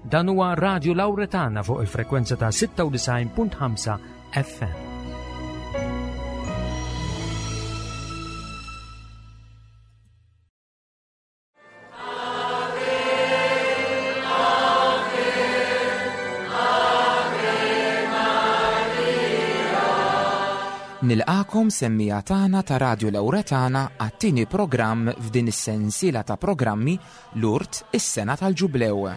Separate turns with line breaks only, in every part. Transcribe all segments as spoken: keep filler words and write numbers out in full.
Dan huwa Radio Lauretana fuq il-frekwenza ta' sitta u disgħin punt ħamsa F M.
Nilqagħkom, semmiegħa tagħna ta' Radio Lauretana, għat-tieni programm f'din is-sensiela ta' programmi Lourdes, is-sena tal-Ġublew.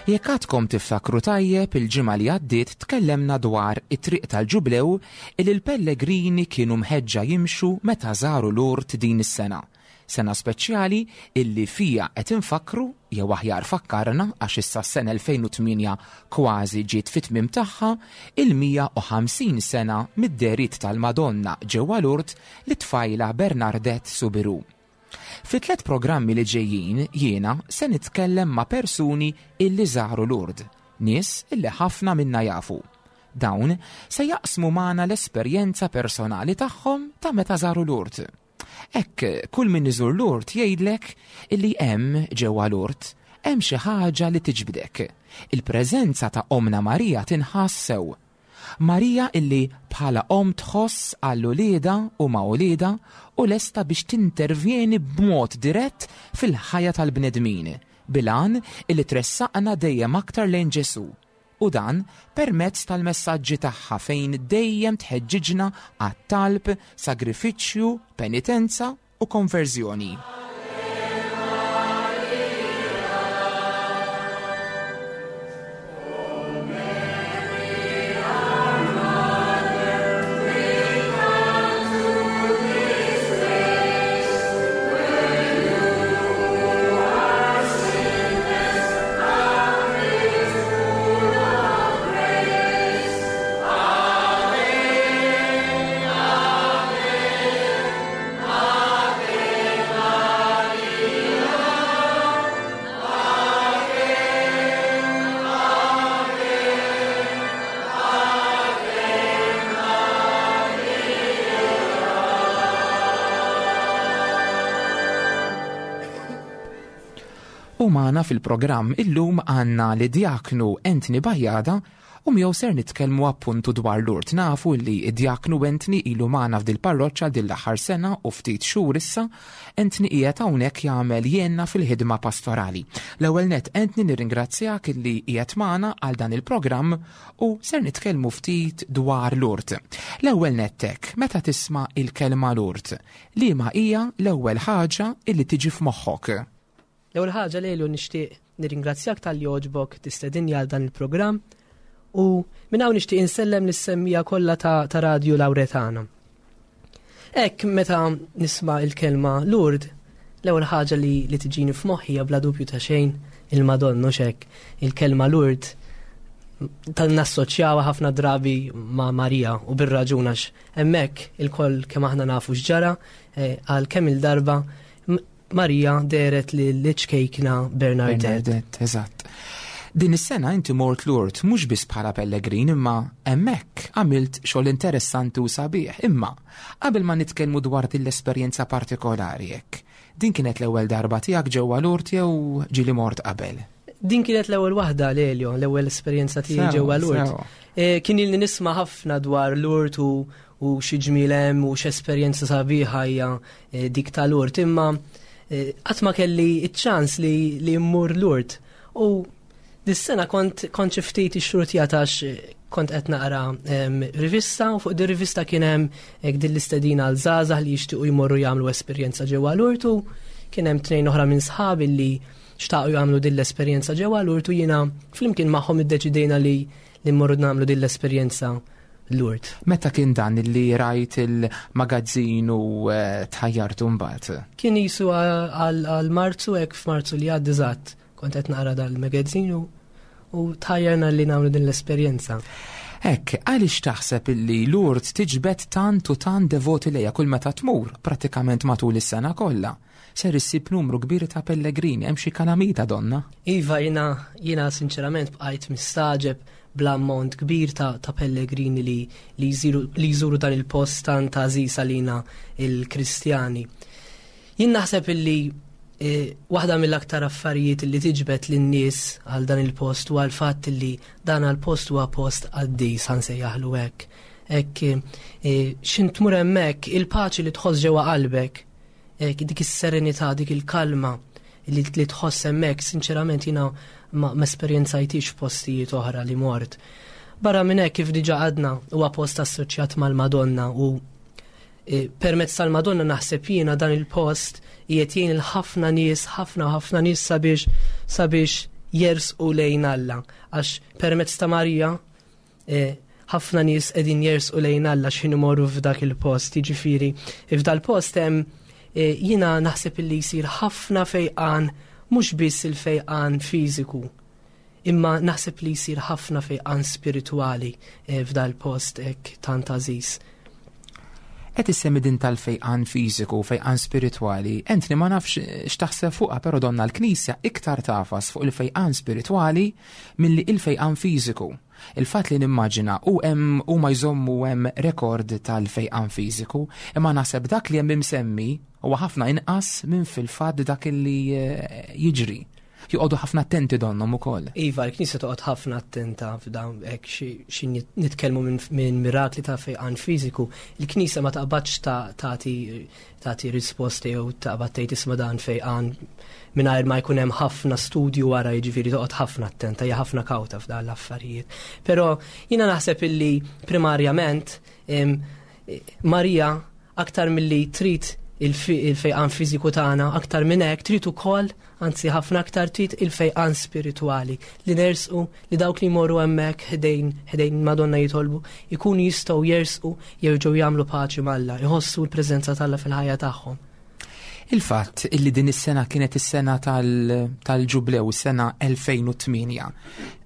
Jekk għadkom tiftakru tajjeb, il-ġimgħa li għaddiet tkellemna dwar it-triq tal-Ġublew il il-pellegrini kienu mħeġġa jimxu meta żaru Lourdes din is-sena. Sena speċjali illi fija qed infakru, jew aħjar fakkarna, għax issa s-sena elfejn u tmienja kważi ġiet fit-tmiem tagħha, il-mija u ħamsin sena mid-dehriet tal-Madonna ġewwa Lourdes lit-tfajla Bernadette Soubirous. Fi tliet programmi li ġejjin jiena se nitkellem ma' persuni illi żaru Lourdes, nies illi ħafna minna jafu. Dawn se jaqsmu magħna l-esperjenza personali tagħhom ta' meta żaru Lourdes. Hekk kull min iżur Lourdes jgħidlek illi hemm ġewwa Lourdes hemm xi ħaġa li tiġbdek. Il-preżenza ta' Omna Marija tinħass sew. Marija illi bħala om tħoss għal uliedha u ma' uliedha u lesta biex tintervjeni b'mod dirett fil-ħajja tal-bnedmin, bil-għan illi tressaqna dejjem aktar lejn Ġesu. U dan permezz tal-messaġġi tagħha fejn dejjem tħeġġiġna għat-talb, sagrifiċċju, penitenza u konverżjoni. U magħna fil-programm illum għandna lid-djaknu Anthony Bajada u miegħu ser nitkellmu appuntu dwar Lourdes. Nafu li id-djaknu Anthony ilu magħna f'dil parroċċa din l-aħħar sena u ftit xhur issa. Anthony qiegħed hawnhekk jagħmel jenna fil-ħidma pastorali. L-ewwel net, Anthony, nirringrazzjak illi qiegħed magħna għal dan il-programm u ser nitkellmu ftit dwar Lourdes. L-ewwel nettek, meta tisma' il-kelma Lourdes, liema hija l-ewwel ħaġa illi tiġi f'moħħok?
L-ewwel ħaġa, Lelu, nixtieq nirringrazzjak talli għoġbok tistedinni għal dan il-programm u minn hawn nixtieq insellem lis-semmiegħa kollha ta', ta Radio Lauretana. Hekk meta nisma' il-kelma Lourdes, l-ewwel ħaġa li, li tiġini f'moħħi hija bla dubju ta' xejn il-Madonna xek. Il-kelma Lourdes tal nassoċjawha ħafna drabi ma' Marija u bir-raġun, għax hemmhekk ilkoll kemm aħna nafu x'ġara eh, għal kemm il-darba Marija dehret liċ-ċkejkna Bernadette.
Bernadette, eżatt. Din is-sena inti mort Lourdes mhux biss bħala pellegrin, imma hemmhekk għamilt xogħol interessanti u sabiħ. Imma qabel ma nitkellmu dwar din l-esperjenza partikolari hekk, din kienet l-ewwel darba tiegħek ġewwa Lourdes jew ġieli mort qabel?
Din kienet l-ewwel waħda, Lelio, l-ewwel esperjenza tiegħi ġewwa Lourdes. E, kien ilni nisma' ħafna dwar Lourdes u, u xi ġmiel hemm u x'esperjenza sabiħa hija e, dik ta' Lourdes, imma e, qatt ma kelli iċ-ċans li, li mmur Lourdes. U dis-sena kont kont xi ftit ixxurtjat għax kont qed naqra em, rivista u fuq din rivista kien hemm hekk din l-istedina għal żgħażagħ li jixtiequ jmorru jagħmlu esperjenza ġewwa Lourdes u kien hemm tnejn oħra minn sħabi li xtaqu jagħmlu din l-esperjenza ġewwa Lourdes u jiena flimkien magħhom iddeċidejna li li mmorru nagħmlu din l-esperjenza Lourdes.
Meta kien dan li rajt il-magazzin u eh, tħajjartu mbagħad?
Kien jisu għal għal Marzu, hekk f'Marzu li għadda eżatt, kont qed naqra dal-magazzin u u tħajjarna li nagħmlu din l-esperjenza.
Hekk, għaliex taħseb illi Lourdes tiġbed tant u tant devoti lejha kull meta tmur, pratikament matul is-sena kollha? Ser issib numru kbir ta' pellegrini, hemm xi kalamita donna?
Iva, jiena jiena sinċerament bqajt mistaġeb bl-ammont kbir ta', ta' pellegrini li, li, jżiru, li jżuru dan il-post tant għażiż għalina il-Kristjani. Jien naħseb illi eh, waħda mill-aktar affarijiet li tiġbed lin-nies għal dan il-post huwa l-fatt li dan għal-post huwa post qaddis, ħa nsejjaħlu hekk. Hekk eh, x'ħin tmur hemmhekk il-paċi li tħoss ġewwa qalbek, hekk dik is-serenità, dik il-kalma li, li tħoss hemmhekk, sinċerament jiena ma, ma esperjenzajtix f'postijiet oħra li mort. Barra minn hekk, kif diġà għadna, huwa post assoċjat mal-Madonna u e, permezz tal-Madonna naħseb jiena dan il-post qiegħed jgħin il-ħafna nies, ħafna ħafna nies sabiex sabiex jersqu lejn Alla. Għax permezz ta' Marija e, ħafna nies qegħdin jersqu lejn Alla x'ħin imorru f'dak il-post. Jiġifieri f'dal-post hemm e, jiena naħseb illi jsir ħafna fejqan, mhux biss il-fejqan fiżiku, imma naħseb li jsir ħafna fejqan spiritwali e, f'dal-post hekk tant għażiż.
Qed issemmi din tal-fejqan fiżiku, fejqan spiritwali. Anthony, ma nafx x'taħseb fuqha, però donna l-Knisja iktar tafas fuq il-fejqan spiritwali milli il-fejqan fiżiku. Il-fatt li nimmaġina u hemm huma jżommu hemm rekord tal-fejqan fiżiku, imma naħseb dak li hemm imsemmi huwa ħafna inqas minn fil-fatt dak li eh, jiġri. Joqogħdu ħafna attenti donnhom ukoll.
Iva, l-Knisja toqgħod ħafna attenta f'dawn hekk xi nitkellmu minn mirakli ta' fejqan fiżiku. Il-Knisja ma taqbadx tagħti tagħti risposti jew taqbad tgħid isma' dan fejqan mingħajr ma jkun hemm ħafna studju wara, jiġifieri toqgħod ħafna attenta, hija ħafna kawta f'dan l-affarijiet. Però jiena naħseb illi primarjament Marija aktar milli trid il-fejqan fiżiku tagħna, aktar minn hekk trid ukoll, anzi ħafna aktar trid il-fejqan spiritwali li nersqu, li dawk li jmorru hemmhekk ħdejn ħdejn Madonna jitolbu ikunu jistgħu jersqu, jerġgħu jagħmlu paċi m'Alla, jħossu l-preżenza t'Alla fil-ħajja tagħhom.
Il-fatt illi din is-sena kienet is-sena tal-ġublew, is-sena elfejn u tmienja.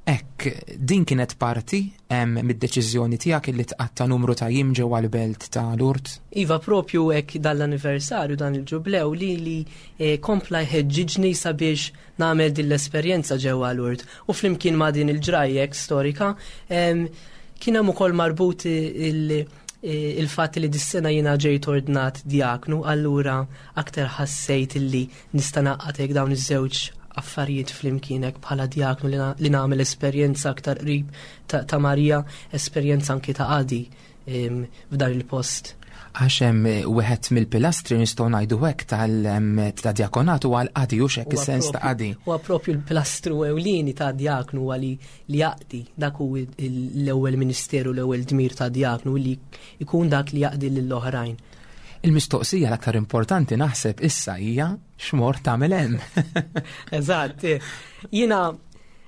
Hekk, din kienet parti mid-deċiżjoni tiegħek illi tqatta' numru ta' jiem ġewwa l-belt ta' Lourdes?
Iva, propju hekk dal-anniversarju dan il-ġublew li li eh, kompla jħeġġiġni sabiex nagħmel din l-esperjenza ġewwa Lourdes. U flimkien ma' din il-ġrajjek storika, kien hemm ukoll marbut il- il-fatt li dis-sena jiena ġejt ordnat diaknu, allura aktar ħassejt illi nista' naqgħad hekk dawn iż-żewġ affarijiet flimkien hekk bħala diaknu li na-, li nagħmel esperjenza aktar qrib ta', ta' Marija, esperjenza anki ta' qadi, em, f'dan il-post.
Għax hemm wieħed mill-pilastri nistgħu ngħidu hekk tal-, em, ta' diakonat huwa l-qadi, hux hekk
Huwa
is-sens ta'
propju
qadi.
Huwa propju l-pilastru ewlieni ta' diaknu huwa li, li jaqdi, dak hu il-, l-ewwel ministeru, l-ewwel dmir ta' diaknu li jkun dak li jaqdi lill-oħrajn.
Il-mistoqsija l-aktar importanti naħseb issa hija x'mort tagħmel hemm.
Eżatt, eh. Jiena,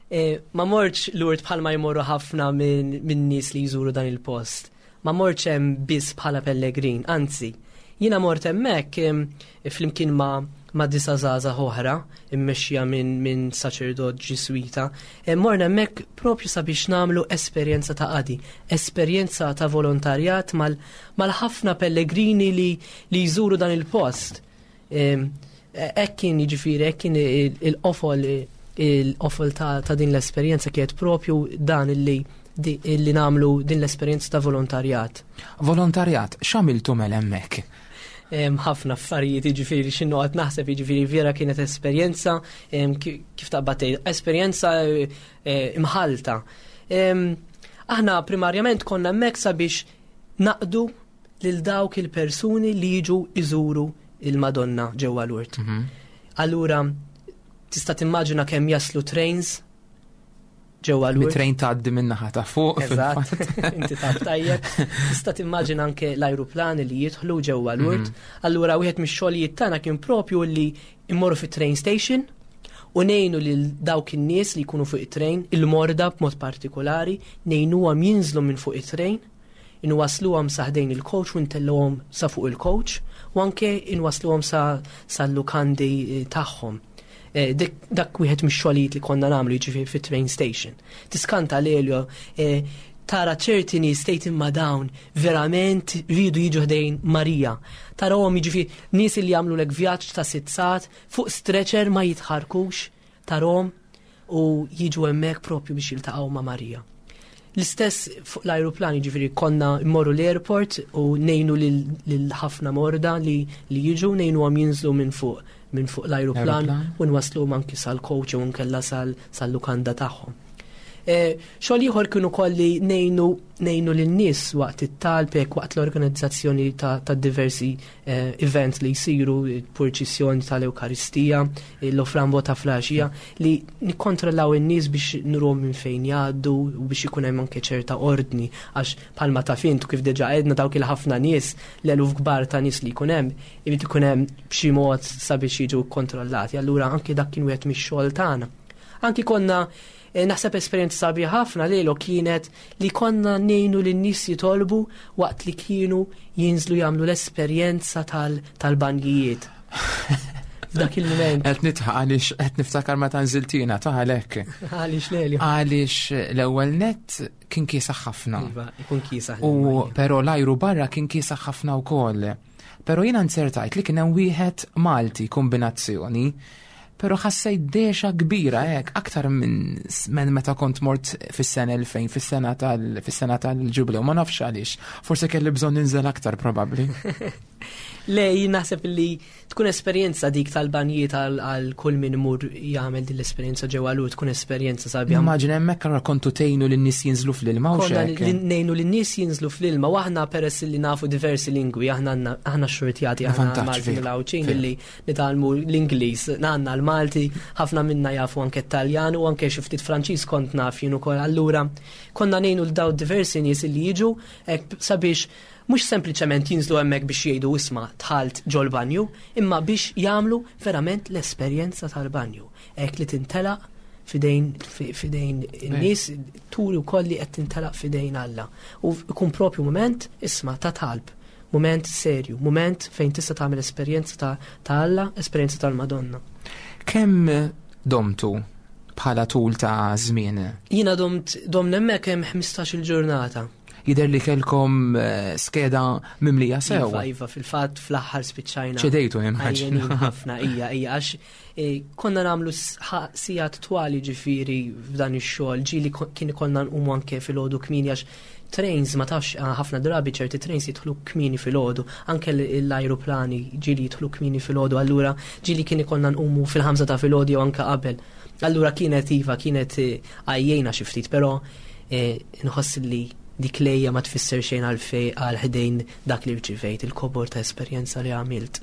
eh, ma mortx Lourdes bħalma jmorru ħafna minn, minn nies li jżuru dan il-post. Ma mortx hemm biss bħala pellegrin, anzi, jiena mort hemmhekk, em, flimkien ma, ma' disa' żgħażagħ oħra, immexxija minn, minn saċerdot Ġiswita, em, morna hemmhekk propju sabiex nagħmlu esperjenza ta' qadi, esperjenza ta' volontarjat mal-, mal-ħafna pellegrini li, li jżuru dan il-post. Em, hekk kien jiġifieri, hekk kien il-, il-qofol, il-qofol ta', ta' din l-esperjenza kienet propju dan illi di-, illi namlu din l-esperjenza ta' volontarjat.
Volontarjat, x'għamiltu mela hemmhekk?
Em, ħafna affarijiet, jiġifieri xi noqgħod naħseb, jiġifieri vera kienet esperjenza, em, ki-, kif taqbad tgħid, esperjenza, eh, imħalta. Em, aħna primarjament konna hemmhekk sabiex naqdu lil dawk il-persuni li jiġu iżuru il-Madonna ġewwa Lourdes.
Mhm.
Allura tista' timmaġina kemm jaslu trains ġewwa Lourdes.
Bit-train tgħaddi min-naħa ta' fuq,
Eżatt,
fil-fatt.
inti taf tajjeb. Tista' timmaġina anke l-ajruplani li jidħlu ġewwa Lourdes.
Mhm.
Allura wieħed mix-xogħlijiet tagħna kien propju li immorru fit-train station u ngħinu lil dawk in-nies li jkunu fuq it-train, il-morda b'mod partikolari, ngħinuhom jinżlu minn fuq it-train, inwasluhom sa ħdejn il-coach u ntellgħuhom sa fuq il-coach u anke inwasluhom sa sal-lukandi, eh, tagħhom. Eh, dak wieħed mix-xogħlijiet li konna nagħmlu, jiġifieri fit-train station. Tiskanta, Lelio, eh, tara ċerti nies tgħid imma dawn verament rridu jiġu ħdejn Marija. Tarahom, jiġifieri nies li jagħmlu lek vjaġġ ta' sitt sigħat fuq stretcher, ma jitħarkux, tarahom u jiġu hemmhekk propju biex jiltaqgħu ma' Marija. L-istess fuq l-aeroplan, ġifieri konna mmorru l-airport u ngħinu lil ħafna morda li, li jiġu, ngħinu għam jinżlu minn fuq minn fuq l-aeroplan u nwaslu anki sal-coach u nkella sal-lukanda tagħhom. E, xogħol ieħor kienu kolli ngħinu ngħinu lin-nies waqt it-talb, waqt l-organizzazzjoni ta', ta diversi eh, events li jsiru, purċissjoni tal-Ewkaristija, l-offrambo ta' filgħaxija, li nikkontrollaw in-nies biex nuruhom minn fejn jgħaddu u biex ikun hemm anke ċerta ordni, għax bħalma taf int, kif diġà għedna, dawk il-ħafna nies, l-eluf kbar ta' nies li jkun hemm, irid ikun hemm b'xi mod sabiex jiġu kontrollati. Allura anke dak kien wieħed mix-xogħol tagħna. Anki konna Eh, naħseb esperjenza sabiħa ħafna lelu kienet li konna ngħinu lin-nies jitolbu waqt li kienu jinżlu jagħmlu l-esperjenza tal-banjijiet. F'dak il-moment.
Qed nidħaq għaliex qed niftakar meta nżiltina ta' għalhekk.
Għaliex, Lelio?
Għaliex l-ewwel net kien kiesaħ ħafna.
Iva, ikun kiesaħ.
U però l-ajru barra kien kiesaħ ħafna wkoll. Però jiena nzertajt li kien hemm wieħed Malti kombinazzjoni, pero ħassejt dehxa kbira hekk, aktar minn minn meta kont mort fis-sena elfejn, fis-sena tal fis-sena tal-ġublew, ma nafx għaliex. Forse kelli bżonn ninżel aktar probabbli.
Le, jien naħseb li tkun esperjenza dik tal-banjiet għal kull min imur jagħmel din l-esperjenza ġewwa Lourdes, tkun esperjenza sabiħa.
Immaġina hemmhekk allura kontu tgħinu lin-nies jinżlu fl-ilma u
Konna
xek.
li ngħinu lin-nies jinżlu fl-ilma u aħna peress li nafu diversi lingwi, aħna għandna- aħna xurtjati, aħna
Vantaġġ,
Malti
veru,
mill-Għawdxin
veru.
li nitgħallmu l-Ingliż, għandna l-Malti, ħafna minna jafu anke Taljan u anke xi ftit Franċiż kont naf jien ukoll. Allura konna ngħinu l daw diversi nies li jiġu hekk sabiex mhux sempliċement jinżlu hemmhekk biex jgħidu isma' dħalt ġol-banju, imma biex jagħmlu verament l-esperjenza tal-banju. Hekk li tintelaq fidejn fi- fidejn in-nies, turi wkoll li qed tintelaq fidejn Alla. U ikun propju moment isma' ta' talb, moment serju, moment fejn tista' tagħmel esperjenza ta' ta' Alla, esperjenza tal-Madonna.
Kemm domtu bħala tul ta' żmien?
Jiena domt dom hemmhekk hemm ħmistax-il ġurnata.
Jidher li kelkom eh, skeda mimlija sew.
Iva, iva, fil-fatt fl-aħħar spiċċajna.
ċedejtu immaġina.
Għajjenin ħafna, ija, ija, għax eh, konna nagħmlu sigħat twali ġifieri f'dan ix-xogħol, ġieli ko- kien ikollna nqumu anke filgħodu kmieni għax trains ma tafx, ah, ħafna drabi ċerti trains jidħlu kmieni filgħodu, anke l- l-ajruplani ġieli jidħlu kmieni filgħodu, allura ġieli kien ikollna nqumu fil-ħamsa ta' filgħodu jew anke qabel. Allura kienet iva, kienet eh, għajjejna xi ftit, però eh, nħoss li dik l-għeja ma tfisser xejn għal fej għal ħdejn dak li rċivejt, il-kobor ta' esperjenza li għamilt.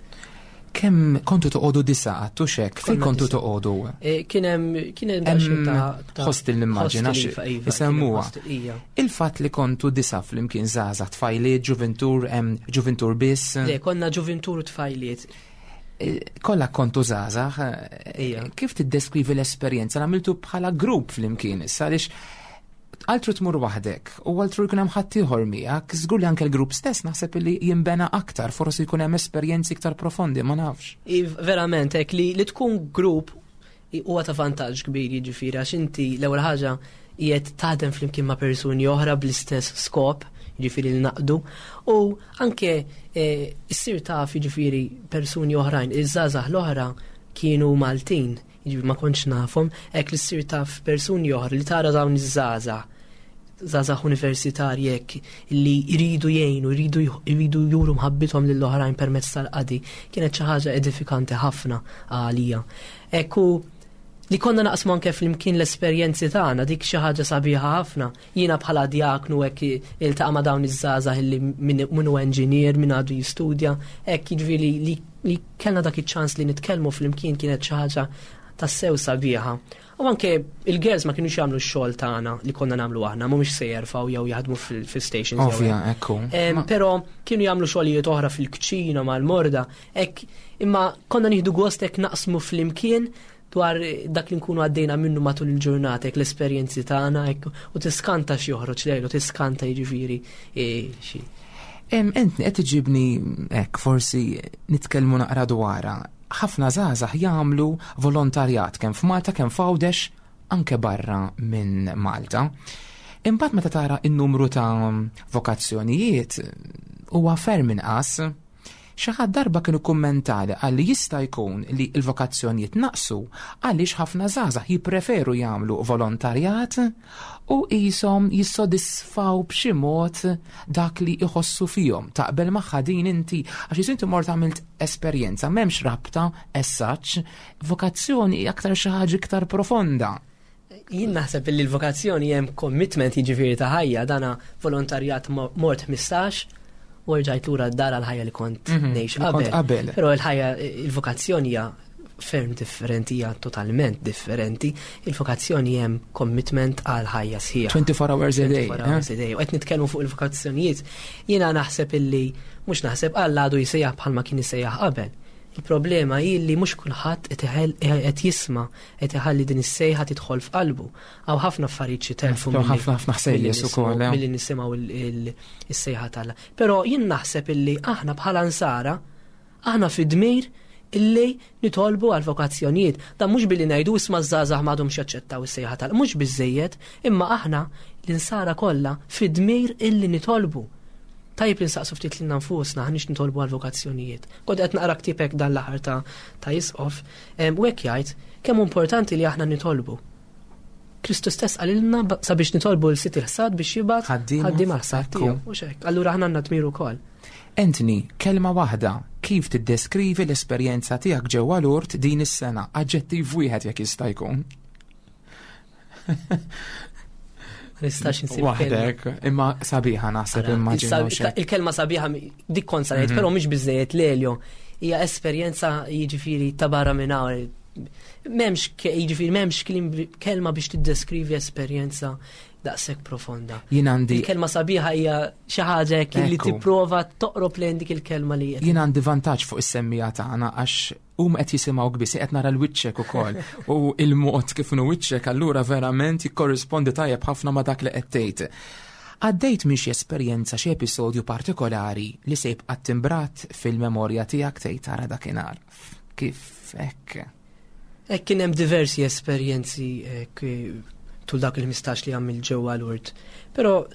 Kemm kontu toqogħdu disa' għattu xek? Fejn
Konna
kontu
disa'.
toqogħdu?
Eh, Kien hemm kien hemm daqsxejn
Hemm
ta' ta'
hostel nimmaġina
hostel,
xi
iva, iva, kien hemm
isemmuha.
hostel, ija.
Il-fatt li kontu disa' flimkien, żgħażagħ, tfajliet, ġuventur, hemm ġuventur biss.
Le, konna ġuventur u tfajliet.
Eh, Kollha kontu żgħażagħ. eh,
Ija.
Kif tiddeskrivi l-esperjenza li għamiltu bħala grupp flimkien issa, għaliex altru tmur waħdek u altru jkun hemm ħaddieħor miegħek, żgur li anke l-grupp stess naħseb li jinbena aktar, forsi jkun hemm esperjenzi iktar profondi, ma nafx.
I- Verament, hekk li, li tkun grupp i- huwa ta' vantaġġ kbir, jiġifieri għax inti l-ewwel ħaġa qiegħed taħdem flimkien ma' persuni oħra bl-istess skop, jiġifieri li naqdu, u anke eh, issir taf jiġifieri persuni oħrajn, iż-żgħażagħ l-oħra kienu Maltin, jiġifieri ma kontx nafhom, hekk li ssir taf persuni oħra, li tara dawn iż-żgħażagħ żgħażagħ universitarji hekk li jridu jgħinu, jridu jridu juru mħabbithom lill-oħrajn permezz tal-qadi, kienet xi ħaġa edifikanti ħafna għalija. Ekku li konna naqsmu anke flimkien l-esperjenzi tagħna, dik xi ħaġa sabiħa ħafna. Jiena bħala diaknu hekk iltaqa' ma' dawn iż-żgħażagħ li min min hu engineer, min għadu jistudja, hekk jiġifieri li, li kellna dak iċ-ċans li nitkellmu flimkien kienet xi ħaġa tassew sabiħa. U anke il-girls ma kienux jagħmlu x-xogħol tagħna li konna nagħmlu aħna, mhumiex se jerfgħu jew jaħdmu fil-stations. jew
Ovvja, ekku.
Em,
Ma-
Però kienu jagħmlu xogħlijiet oħra fil-kċina mal-morda, hekk, imma konna nieħdu gost hekk naqsmu flimkien dwar dak li nkunu għaddejna minnu matul il-ġurnata, hekk l-esperjenzi tagħna, hekk, u tiskanta xi joħroġ lejlu, tiskanta jiġifieri e, xi.
Em, Ent qed iġibni hekk forsi nitkellmu naqra dwarha. ħafna żgħażagħ jagħmlu volontarjat kemm f'Malta kemm f'Għawdex anke barra minn Malta. Imbagħad meta tara n-numru ta' vokazzjonijiet huwa ferm inqas. Xi ħadd darba kienu kummentali qal li jista' jkun li l-vokazzjonijiet naqsu għaliex ħafna żgħażagħ jippreferu jagħmlu volontarjat u qishom jissodisfaw b'xi mod dak li jħossu fihom. Taqbel magħha din inti għax jisu inti mort għamilt esperjenza, m'hemmx rabta as such, vokazzjoni hija aktar xi ħaġa iktar profonda.
Jien naħseb li l-vokazzjoni hemm commitment jiġifieri ta' ħajja, dana volontarjat mort ħmistax u rġajt lura d-dar għal-ħajja li kont
Mhm,
ngħix
li kont
qabel.
qabel.
Però l-ħajja, il-vokazzjoni hija ferm differenti, hija totalment differenti. Il-vokazzjoni hemm commitment għal ħajja sħiħa.
twenty-four hours a day,
twenty-four hours
eh?
a day. U qed nitkellmu fuq il-vokazzjonijiet, jiena naħseb illi mhux naħseb Alla għadu jsejjaħ bħalma kien isejjaħ qabel. Il-problema hi li mhux kulħadd qed iħell-, qed jisma', qed iħalli din is-sejħa tidħol f'qalbu. Hawn ħafna affarijiet xi telfu
Hawn
milli
ħafna, ħafna ħsejjes
milli
ukoll,
nisimgħu
eh.
milli nisimgħu il-, il-, is-sejħa t'Alla. Però jien naħseb illi aħna bħala nsara, aħna fi dmir illi nitolbu għal vokazzjonijiet. Dan mhux billi ngħidu isma' żgħażagħ m'għadhomx jaċċettaw is-sejħa tal, mhux biżejjed, imma aħna l-insara kollha fi dmir illi nitolbu. Tajjeb li nsaqsu ftit lilna nfusna ħanix nitolbu għal vokazzjonijiet. Kont qed naqra ktibek dan l-aħħar ta', ta' Isqof, em, u hekk jgħid kemm importanti li aħna nitolbu. Kristu stess qalilna ba-, sabiex nitolbu l Sid il-ħsad biex jibgħat
Ħaddiema
ħaddiema l-ħsad
Ekku.
tiegħu. Mhux hekk. Allura aħna għandna dmir ukoll.
Anthony, kelma waħda, kif tiddeskrivi l-esperjenza tiegħek ġewwa Lourdes din is-sena? Aġġettiv wieħed jekk jista' jkun.
Ma nistax insib kelma.
Waħdek, imma sabiħa naħseb
Ara,
immaġinaw
il-sab-
xejn.
Il-kelma sabiħa mi-, dik kont sa ngħid,
Mhm.
però mhix biżejjed Lelio. Hija esperjenza jiġifieri ta' barra minn hawn. M'hemmx ke-, jiġifieri m'hemmx kliem bi-, kelma biex tiddeskrivi esperjenza daqshekk profonda.
Jien għandi
Il-kelma sabiħa hija xi ħaġa hekk li
Ekku.
tipprova toqrob lejn dik il-kelma li qed
Jien għandi vantaġġ fuq is-semmija tagħna għax hum qed jisimgħu biss, qed nara l-wiċċek ukoll. U il-mod kif inhu wiċċek allura verament jikkorrispondi tajjeb ħafna ma' dak li qed tgħid. Għaddejt minn xi esperjenza, xi episodju partikolari li se jibqa' timbrat fil-memorja tiegħek tgħid tara dakinhar. Kif hekk?
Hekk kien hemm diversi esperjenzi hekk tul dak il-ħmistax li għamil ġewwa Lourdes. Però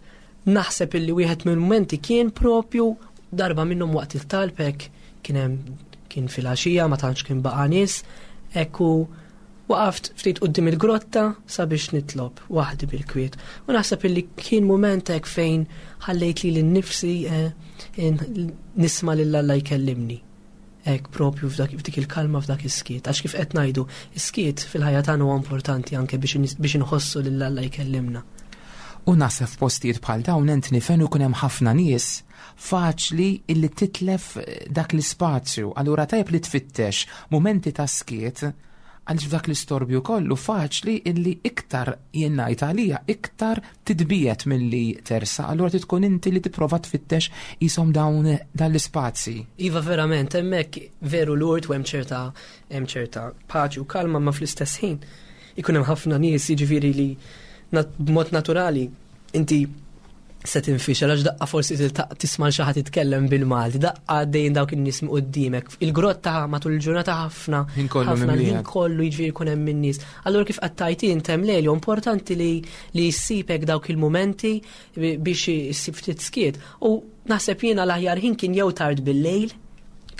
naħseb illi wieħed mill-mumenti kien propju darba minnhom waqt il-talb hekk kien hemm kien filgħaxija ma tantx kien baqa' nies, hekk u waqaft ftit quddiem il-grotta sabiex nitlob waħdi bil-kwiet. U naħseb illi kien mument hekk fejn ħallejt lili nnifsi, eh, in-, nisma' lil Alla jkellimni. Hekk propju f'dak, f'dik il-kalma, f'dak is-skiet. Għax kif qed ngħidu, is-skiet fil-ħajja tagħna huwa importanti anke biex nis-, biex inħossu lil Alla jkellimna.
U naħseb f'postijiet bħal dawn Anthony fejn ikun hemm ħafna nies faċli illi titlef dak l-ispazju. Allura tajjeb li tfittex mumenti ta' skiet għaliex f'dak l-istorbju kollu faċli illi iktar jien ngħid għalija, iktar titbiet milli tersa. Allura tkun inti li tipprova tfittex qishom dawn dan l-ispazji.
Iva verament, hemmhekk veru Lourdes u hemm ċerta, hemm ċerta paċi u kalma, ma fl-istess ħin ikun hemm ħafna nies jiġifieri li nat-, b'mod naturali inti se tinfixel għax daqqa forsi tiltaq tisma' xi ħadd jitkellem bil-Malti, daqqa għaddejjin dawk in-nies minn quddiemek. Il-grotta matul il-ġurnata ħafna,
Ħin kollu
ħafna
mimlija.
ħin kollu jiġifieri jkun hemm in-nies. Allura kif qed tgħid int hemm Lelio, importanti li, li ssibek dawk il-mumenti bi-, biex issib ftit skiet. U naħseb jiena l-aħjar ħin kien jew tard bil-lejl,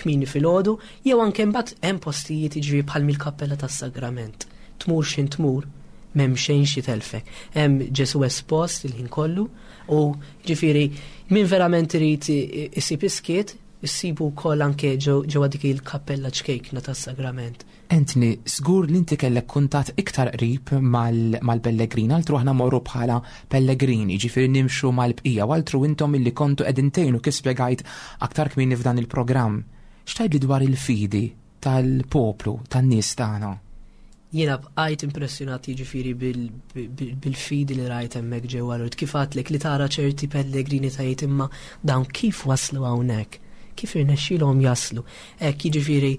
kmieni filgħodu, jew anke mbagħad hemm postijiet jiġifieri bħal mill-Kappella tas-Sagrament. Tmur x'in tmur, m'hemm xejn xi telfek. Hemm Ġesu espost il-ħin kollu u ġifieri min verament irid i-, isib iskiet, issibu wkoll anke ġew-, ġewwa dik il-kappella ċkejkna tas-Sagrament.
Anthony, żgur li inti kellek kuntatt iktar qrib mal-, mal-Pellegrini, altru aħna morru bħala Pellegrini, ġifieri nimxu mal-bqija, u altru intom illi kontu qegħdin tgħinu kif spjegajt aktar kmieni f'dan il-programm. X'tgħidli dwar il-fidi tal-poplu, tan-nies tagħna?
Jiena bqajt impressjonat jiġifieri bil-, bil-, bil-fidi li rajt hemmhekk ġewwa Lourdes. Kif għadtlek li tara ċerti pellegrini tgħid imma dawn kif waslu hawnhekk? Kif irnexxielhom jaslu? Hekk jiġifieri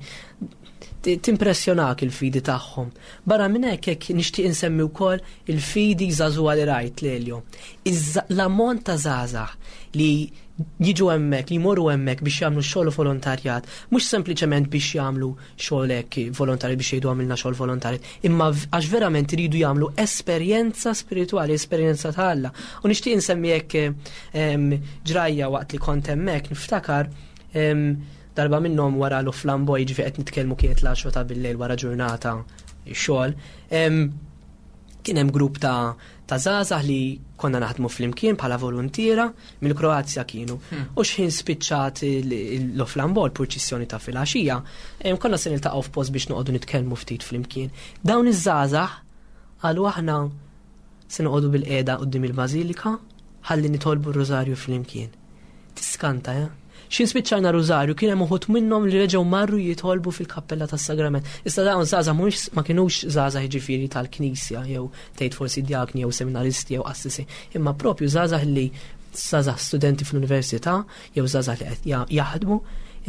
Timpressjonak il-fidi tagħhom. Barra minn hekk, hekk nixtieq insemmi wkoll il-fidi żagħżugħa li rajt, Lelio. L-ammont ta' żgħażagħ li jiġu hemmhekk, li jmorru hemmhekk biex jagħmlu xogħol volontarjat, mhux sempliċement biex jagħmlu xogħol hekk volontarju biex jgħidu għamilna xogħol volontarjat, imma għax verament iridu jagħmlu esperjenza spiritwali, esperjenza ta' Alla. U nixtieq insemmi hekk ġrajja waqt li kont hemmhekk, niftakar darba minnhom wara l-Flamboy, ġifi qed nitkellmu kienet l-għaxra ta' bil-lejl wara ġurnata xogħol, kien hemm grupp ta' ta' żgħażagħ li konna naħdmu flimkien bħala volontiera mill-Kroazja kienu. Hmm. U xħin spiċċat l-Flambol, purċissjoni ta' filgħaxija, konna se niltaqgħu f'post biex noqogħdu nitkellmu ftit flimkien. Dawn iż-żgħażagħ qalu aħna se noqogħdu bil-qiegħda quddiem il-bażilika ħalli nitolbu r-rużarju flimkien. Tiskanta, eh? X'ħin spiċċajna rużarju kien hemm uħud minnhom li reġgħu marru jitolbu fil-kappella tas-Sagrament. Issa dawn żgħażagħ mhux ma kinux żgħażagħ jiġifieri tal-Knisja jew tgħid forsi djakni jew seminaristi jew qassisi, imma propju żgħażagħ li żgħażagħ studenti fl-università jew żgħażagħ li qed jaħdmu,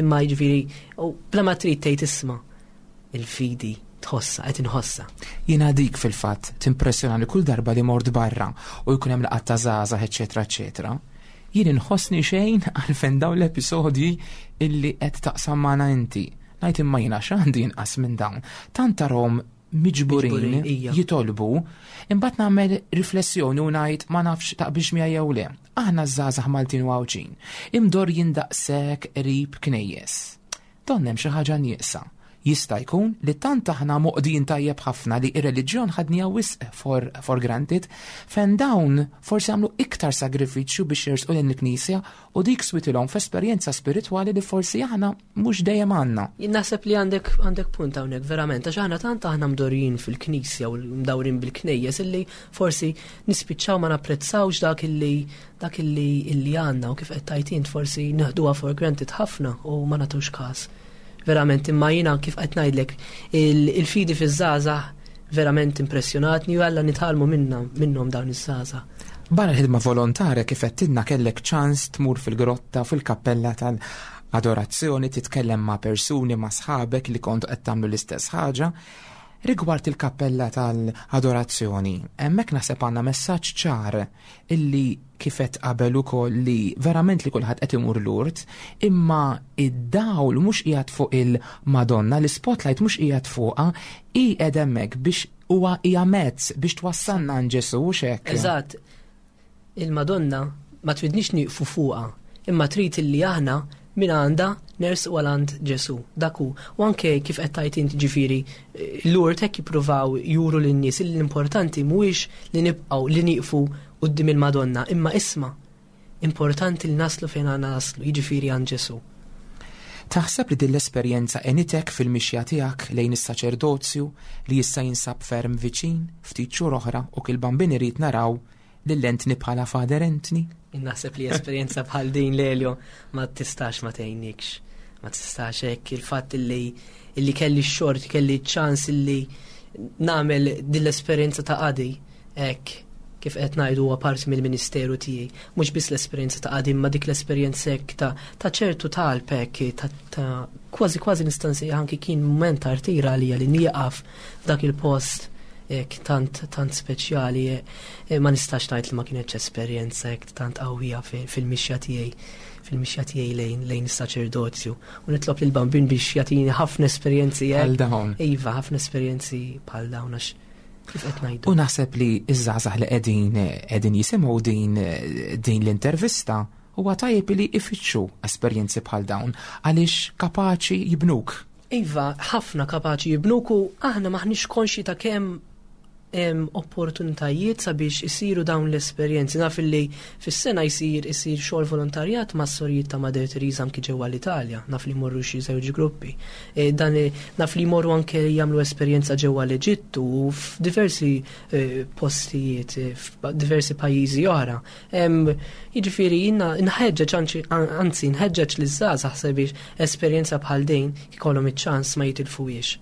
imma jiġifieri u bla ma trid tgħid isma' il-fidi tħossa, qed inħossa.
Jiena dik fil-fatt timpressjonani kull darba li mort barra u jkun hemm laqgħat ta' żgħażagħ, eċetera, eċetera. Jien inħossni xejn għalfejn dawn l-episodji illi qed taqsam magħna inti. Ngħid imma jiena x'għandi inqas minn dawn. Tant tarhom miġburin jitolbu, imbagħad nagħmel riflessjoni u ngħid ma nafx taqbilx miegħi jew le. Aħna żgħażagħ Maltin u Għawdxin, imdorrijin daqshekk qrib knejjes. Donnha hemm xi ħaġa nieqsa. Jista' jkun li tant aħna moqdin tajjeb ħafna li ir-reliġjon ħadniha wisq for, for granted, fejn dawn forsi għamlu iktar sagrifiċċju biex jersqu lejn il-Knisja u dik switilhom f'esperjenza spiritwali li forsi aħna mhux dejjem għandna.
Jien naħseb li għandek, għandek punt hawnhekk verament, għax aħna tant aħna mdorrijin fil-Knisja u mdawrin bil-knejjes illi forsi nispiċċaw ma napprezzawx dak illi dak illi illi għandna u kif qed tgħid int forsi neħduha for granted ħafna u ma nagħtux każ. Verament, imma jiena kif qed ngħidlek, il-fidi fiż-żgħażagħ verament impressjonatni u għalla nitgħallmu minna minnhom dawn iż-żgħażagħ.
Barra l-ħidma volontarja kif qed tidna kellek ċans tmur fil-grotta fil-kappella tal-adorazzjoni, titkellem ma' persuni, ma' sħabek li kontu qed tagħmlu l-istess ħaġa. Rigward il-kappella tal-adorazzjoni, hemmhekk naħseb għandna messaġġ ċar illi kif qed qabel ukoll li verament li kulħadd qed imur Lourdes, imma id-dawl mhux qiegħed fuq il-Madonna, l-spotlight mhux qiegħed fuqha, hi qed hemmhekk biex huwa hija mezz biex twassalna għand Ġesù, hux hekk?
Eżatt. Il-Madonna ma tridniex nieqfu fuqha, imma trid illi aħna min għandha nersqu għal għand Ġesù. Dak hu. U anke kif qed tgħid inti ġifieri, Lourdes hekk jippruvaw juru lin-nies li l-importanti mhuwiex li nibqgħu li nieqfu quddiem il-Madonna, imma isma' importanti li naslu fejn għandna naslu, jiġifieri għand Ġesù.
Taħseb li din l-esperjenza għenitek fil-mixja tiegħek lejn is-saċerdozju li issa jinsab ferm viċin, ftit xhur oħra u kil Bambin irid naraw lil Anthony bħala Father Anthony?
Naħseb li esperjenza bħal din, Lelio, ma tistax ma tgħinnikx. Ma tistax hekk il-fatt illi, illi kelli x-xort, kelli ċans illi nagħmel din l-esperjenza ta' qadi hekk kif qed ngħidu huwa parti mill-ministeru tiegħi. Mhux biss l-esperjenza ta' qadi, imma dik l-esperjenza hekk ta', ta' ċertu talb hekk, ta', ta' kważi kważi nista' nsejjaħ anki kien mument ta' rtira għalija li nieqaf f'dak il-post hekk tant, tant speċjali, e, ma nistax ngħid li ma kienx esperjenza hekk tant qawwija fil-mixja tiegħi, fil-mixja tiegħi lejn, lejn is-saċerdozju. U nitlob lil Bambin biex jagħtini ħafna esperjenzi hekk.
Bħal dawn.
Iva, ħafna esperjenzi bħal dawn għax kif qed ngħidu.
U naħseb li ż-żgħażagħ li qegħdin, qegħdin jisimgħu din, din l-intervista huwa tajjeb li ifittxu esperjenzi bħal dawn għaliex kapaċi jibnuk.
Iva, ħafna kapaċi jibnuk u aħna maħniex konxji ta' kemm hemm opportunitajiet sabiex isiru dawn l-esperjenzi. Naf li fis-sena jsir, isir xogħol volontarjat ma' sorijiet ta' Mother Teresa anki ġewwa l-Italja, naf li jmorru xi żewġ gruppi. E, dan i-, naf li jmorru anke jagħmlu esperjenza ġewwa l-Eġittu u f'diversi, e, postijiet, e, f'diversi pajjiżi oħra. Em, jiġifieri jiena nħeġġeġ, anzi, anzi nħeġġeġ liż-żgħażagħ sabiex esperjenza bħal din ikollhom iċ-ċans ma jitilfuhiex.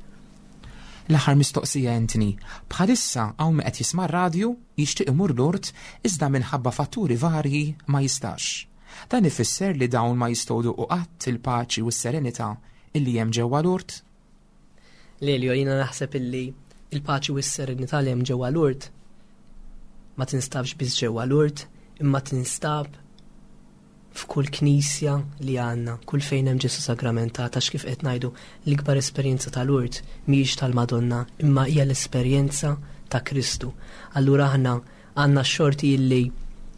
L-aħħar mistoqsija, Anthony, bħalissa hawn min qed jisma' r-radju jixtieq imur Lourdes iżda minħabba fatturi varji ma jistax. Dan ifisser li dawn ma jistgħu jduqu qatt il-paċi u s-serenità illi hemm ġewwa Lourdes?
Lelio, jiena naħseb illi il-paċi u s-serenità li hemm ġewwa Lourdes ma tinstabx biss ġewwa Lourdes, imma tinstab f'kull knisja li għandna, kull fejn hemm Ġesu sagramentat, għax kif qed ngħidu l-ikbar esperjenza ta' Lourdes mhijiex tal-Madonna, imma hija l-esperjenza ta' Kristu. Allura aħna għandna x-xorti illi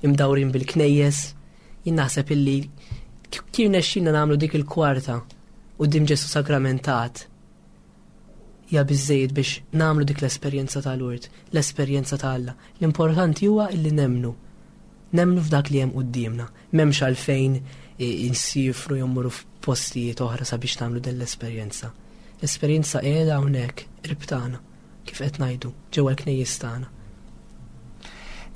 imdawrin bil-knejjes, jien naħseb illi kif nexxina nagħmlu dik il-kwarta quddiem Ġesu sagramentat hija biżejjed biex nagħmlu dik l-esperjenza ta' Lourdes, l-esperjenza ta' Alla. L-importanti huwa illi nemnu. Nemnu f'dak li hemm quddiemna. M'hemmx għalfejn insifru jew mmorru f'postijiet oħra sabiex nagħmlu din l-esperjenza. L-esperjenza qiegħda hawnhekk qrib tagħna, kif qed ngħidu, ġewwa l-knejjes tagħna.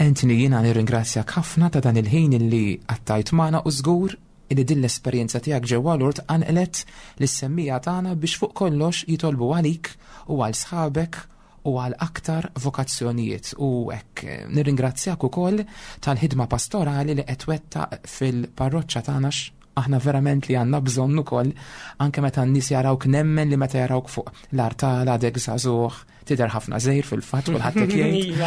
Anthony, jiena nirringrazzjak ħafna ta' dan il-ħin illi qattajt magħna u żgur illi din l-esperjenza tiegħek ġewwa Lourdes qanqlet lis-semmiegħa tagħna biex fuq kollox jitolbu għalik u għal sħabek u għal aktar vokazzjonijiet. U hekk nirringrazzjak ukoll tal-ħidma pastorali li qed twettaq fil-parroċċa tagħna, aħna verament li għandna bżonn ukoll, anke meta n-nies jarawk, nemmen li meta jarawk fuq l-artal għadek żagħżugħ, tidher ħafna żgħir fil-fatt, kulħadd hekk jgħid.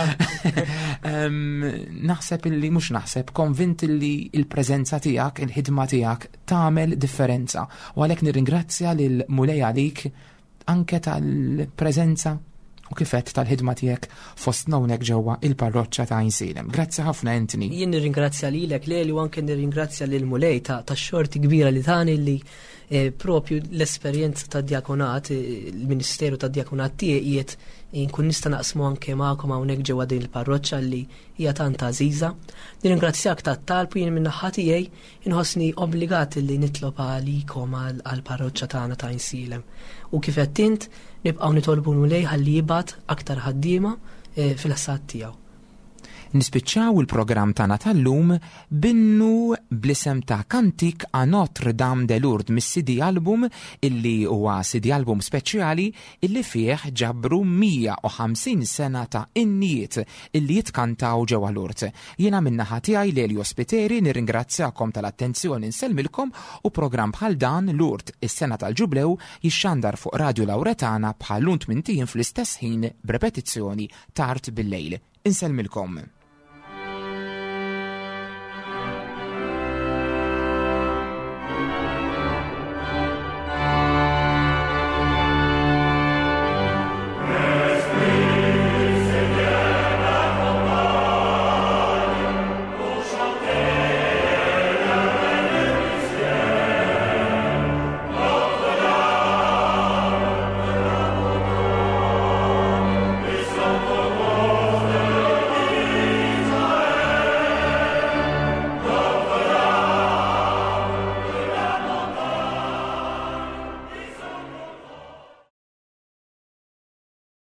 Naħseb illi, mhux naħseb, konvint illi il-preżenza tiegħek, il-ħidma tiegħek tagħmel differenza. U għalhekk nirringrazzja lil Mulej għalik anke tal-preżenza u kifet tal-ħidma tiegħek fostna hawnhekk ġewwa il-parroċċa ta' Għajnsielem. Grazzi ħafna, Anthony.
Jien nirringrazzja lilek, Leli, u anke nirringrazzja lil Mulej ta' tax-xorti kbira li tani li eh, propju l-esperjenza ta' djakonat, eh, il-Ministeru ta' djakonat tiegħi qiegħed nkun nista' naqsmu anke magħkom hawnhekk ġewwa din il-parroċċa li hija tant għażiża. Nirringrazzjak tat-talb u jien min-naħa tiegħi inħossni obbligat li nitlob għalikom għall-parroċċa tagħna ta' Għajnsielem. U kif qed int, nibqgħu nitolbu Mulej ħalli jibgħat aktar ħaddiema eh, fil-ħsad tiegħu.
Nispiċċaw il-programm tagħna tal-lum b'innu bl-isem ta' Cantique à Notre Dame de Lourdes mis-C D album, illi huwa C D album speċjali illi fih ġabru mija u ħamsin sena ta' innijiet illi jitkantaw ġewwa Lourdes. Jiena min-naħa tiegħi, Lelio Spiteri, nirringrazzjakom tal-attenzjoni, nsellmilkom, u programm bħal dan, Lourdes is-sena tal-Ġublew, jixxandar fuq Radio Lauretana bħal tmint ijiem fl-istess ħin b'repetizzjoni tard bil-lejl. Insellmilkom.